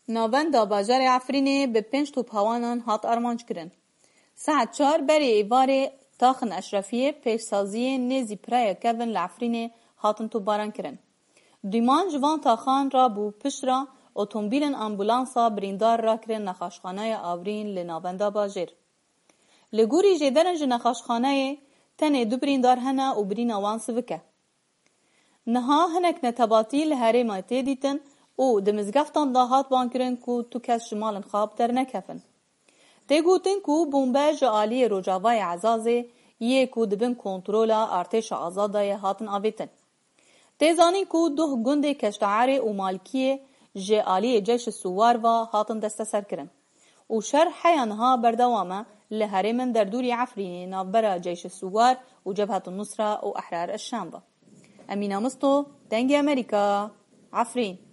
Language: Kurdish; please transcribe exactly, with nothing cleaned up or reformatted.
Navenda bajarê Efrînê bi pênc tophewanan hat armanc kirin. Saet çar berê êvarê taxin Eşrefiyê pêşsaziyê nêzî piraya kevin li Efrînê hatin topbaran kirin. Dîman ji van taxan rabû pişt re otomobîlên ambulansa birîndar rakirin nexaşxanaya Afrîn li navenda bajêr. Li gorî jêderin ji nexaşxaneyê tenê du birîndar hene û birîna wan sivik e. Niha hinek netebatî li herêma tê dîtin û di mizgeftan de hat bankirin ku tu kes ji malên xwe bi dernekevin. Tê gotin ku bombe ji aliyê Rojavayê Ezazê yê ku di bin kontrola artêşa Azad de ye hatin avêtin. Tê zanîn ku duh gundê Keşteerê û Malkiyê ji aliyê Ceyşê Suwar ve hatin desteserkirin. Û şer heya niha berdewam e li herêmên derdûrî Efrînê navbera Ceyşê Suwar û Cebhetun Nusra û Ehrar Eşşam ve. Emîna Misto, Dengê Amerîka, Efrîn.